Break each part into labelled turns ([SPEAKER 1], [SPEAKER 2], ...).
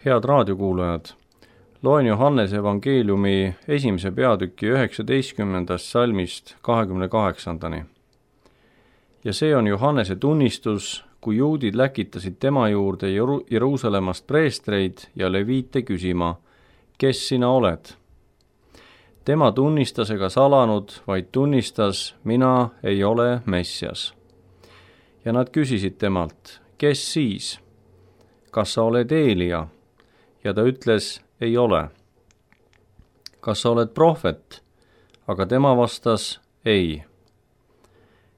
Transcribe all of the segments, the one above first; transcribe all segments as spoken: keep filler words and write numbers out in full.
[SPEAKER 1] Head raadiokuulajad, loen Johannese evangeeliumi esimese peatüki üheksateistkümnendast salmist kahekümne kaheksandani. Ja see on Johannese tunnistus, kui juudid läkitasid tema juurde Jeru- Jeruusalemmast preestreid ja leviite küsima, kes sina oled? Tema tunnistas ega salanud, vaid tunnistas, mina ei ole Messias. Ja nad küsisid temalt, kes siis? Kas sa oled Eelia? Ja ta ütles, ei ole. Kas sa oled prohvet? Aga tema vastas, ei.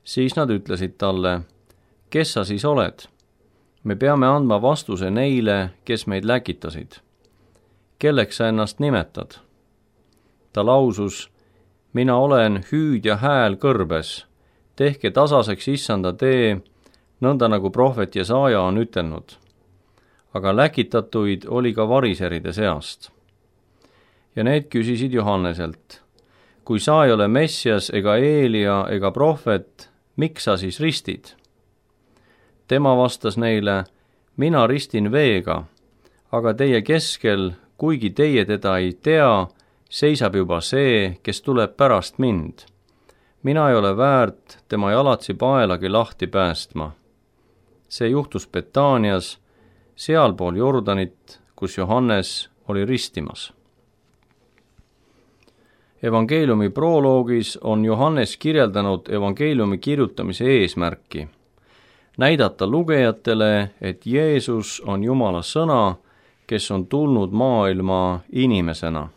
[SPEAKER 1] Siis nad ütlesid talle, kes sa siis oled? Me peame andma vastuse neile, kes meid läkitasid. Kelleks sa ennast nimetad? Ta lausus, mina olen hüüdja hääl kõrbes, tehke tasaseks issanda tee, nõnda nagu prohvet Jesaja on ütelnud. Aga läkitatuid oli ka variseride seast. Ja need küsisid Johanneselt, kui sa ei ole Messias ega Eelia ega prohvet, miks sa siis ristid? Tema vastas neile, mina ristin veega, aga teie keskel, kuigi teie teda ei tea, seisab juba see, kes tuleb pärast mind. Mina ei ole väärt tema jalatsi paelagi lahti päästma. See juhtus Betaanias, sealpool Jordanit, kus Johannes oli ristimas. Evangeeliumi proloogis on Johannes kirjeldanud evangeeliumi kirjutamise eesmärki. Näidata lugejatele, et Jeesus on Jumala sõna, kes on tulnud maailma inimesena.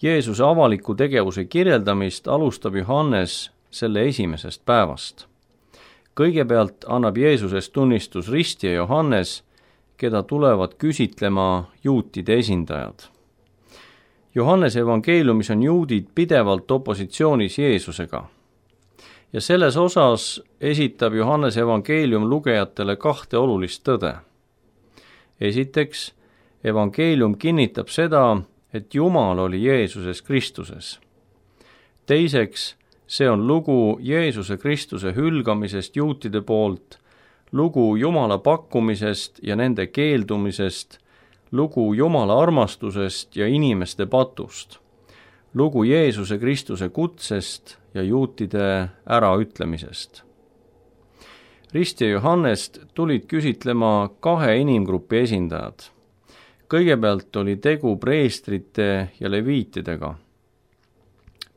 [SPEAKER 1] Jeesuse avaliku tegevuse kirjeldamist alustab Johannes selle esimesest päevast. Kõigepealt annab Jeesusest tunnistus ristija Johannes, keda tulevad küsitlema juutide esindajad. Johannese evangeeliumis on juudid pidevalt opositsioonis Jeesusega. Ja selles osas esitab Johannese evangeelium lugejatele kahte olulist tõde. Esiteks, evangeelium kinnitab seda, et Jumal oli Jeesuses Kristuses. Teiseks, see on lugu Jeesuse Kristuse hülgamisest juutide poolt, lugu Jumala pakkumisest ja nende keeldumisest, lugu Jumala armastusest ja inimeste patust, lugu Jeesuse Kristuse kutsest ja juutide äraütlemisest. Ristja Johannest tulid küsitlema kahe inimgrupi esindajad. Kõigepealt oli tegu preestrite ja leviitidega.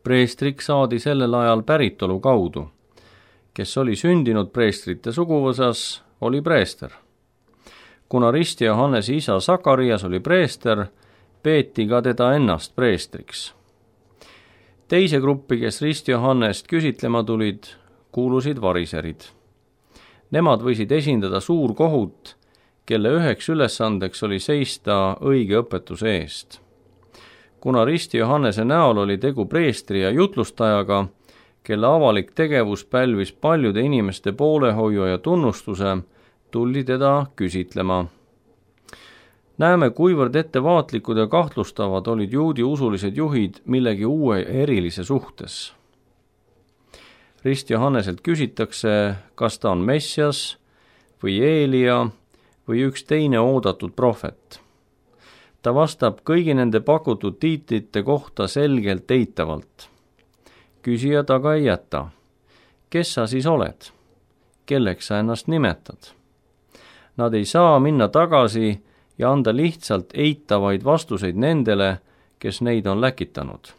[SPEAKER 1] Preestriks saadi sellel ajal päritolu kaudu. Kes oli sündinud preestrite suguvõsas, oli preester. Kuna ristja Johannese isa Sakarias oli preester, peeti ka teda ennast preestriks. Teise gruppi, kes ristja Johannest küsitlema tulid, kuulusid variserid. Nemad võisid esindada suurkohut, kelle üheks ülesandeks oli seista õige õpetuse eest. Kuna ristja Johannese näol oli tegu preestri ja jutlustajaga, kelle avalik tegevus pälvis paljude inimeste poolehoiu ja tunnustuse, tuldi teda küsitlema. Näeme, kuivõrd ettevaatlikud ja kahtlustavad olid juudi usulised juhid millegi uue erilise suhtes. Rist Johanneselt küsitakse, kas ta on Messias või Eelia või üks teine oodatud prohvet. Ta vastab kõigi nende pakutud tiitlite kohta selgelt eitavalt. Küsija taga ei jäta. Kes sa siis oled? Kelleks sa ennast nimetad? Nad ei saa minna tagasi ja anda lihtsalt eitavaid vastuseid nendele, kes neid on läkitanud.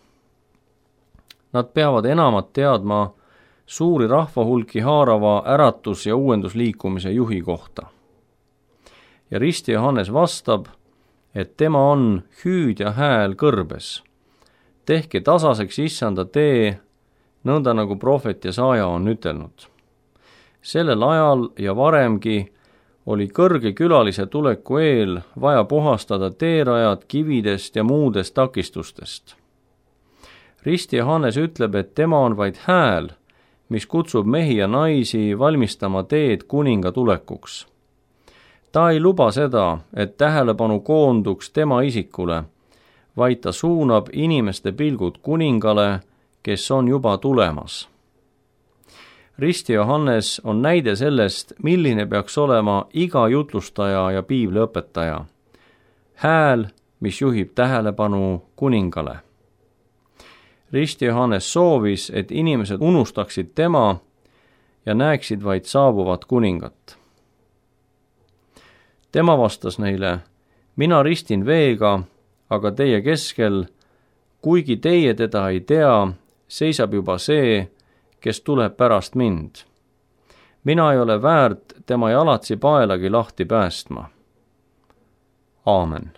[SPEAKER 1] Nad peavad enamat teadma suuri rahvahulki haarava äratus- ja uuendusliikumise juhi kohta. Ja ristja Johannes vastab, et tema on hüüdja hääl kõrbes. Tehke tasaseks issanda tee, nõnda nagu prohvet Jesaja on ütelnud. Sellel ajal ja varemgi oli kõrge külalise tuleku eel vaja puhastada teerajad kividest ja muudest takistustest. Rist Johannes ütleb, et tema on vaid hääl, mis kutsub mehi ja naisi valmistama teed kuninga tulekuks. Ta ei luba seda, et tähelepanu koonduks tema isikule, vaid ta suunab inimeste pilgud kuningale, kes on juba tulemas. Rist Johannes on näide sellest, milline peaks olema iga jutlustaja ja piibliõpetaja. hääl, mis juhib tähelepanu kuningale. Rist Johannes soovis, et inimesed unustaksid tema ja näeksid vaid saabuvat kuningat. Tema vastas neile, mina ristin veega, aga teie keskel, kuigi teie teda ei tea, seisab juba see, kes tuleb pärast mind. Mina ei ole väärt tema jalatsi paelagi lahti päästma. Aamen.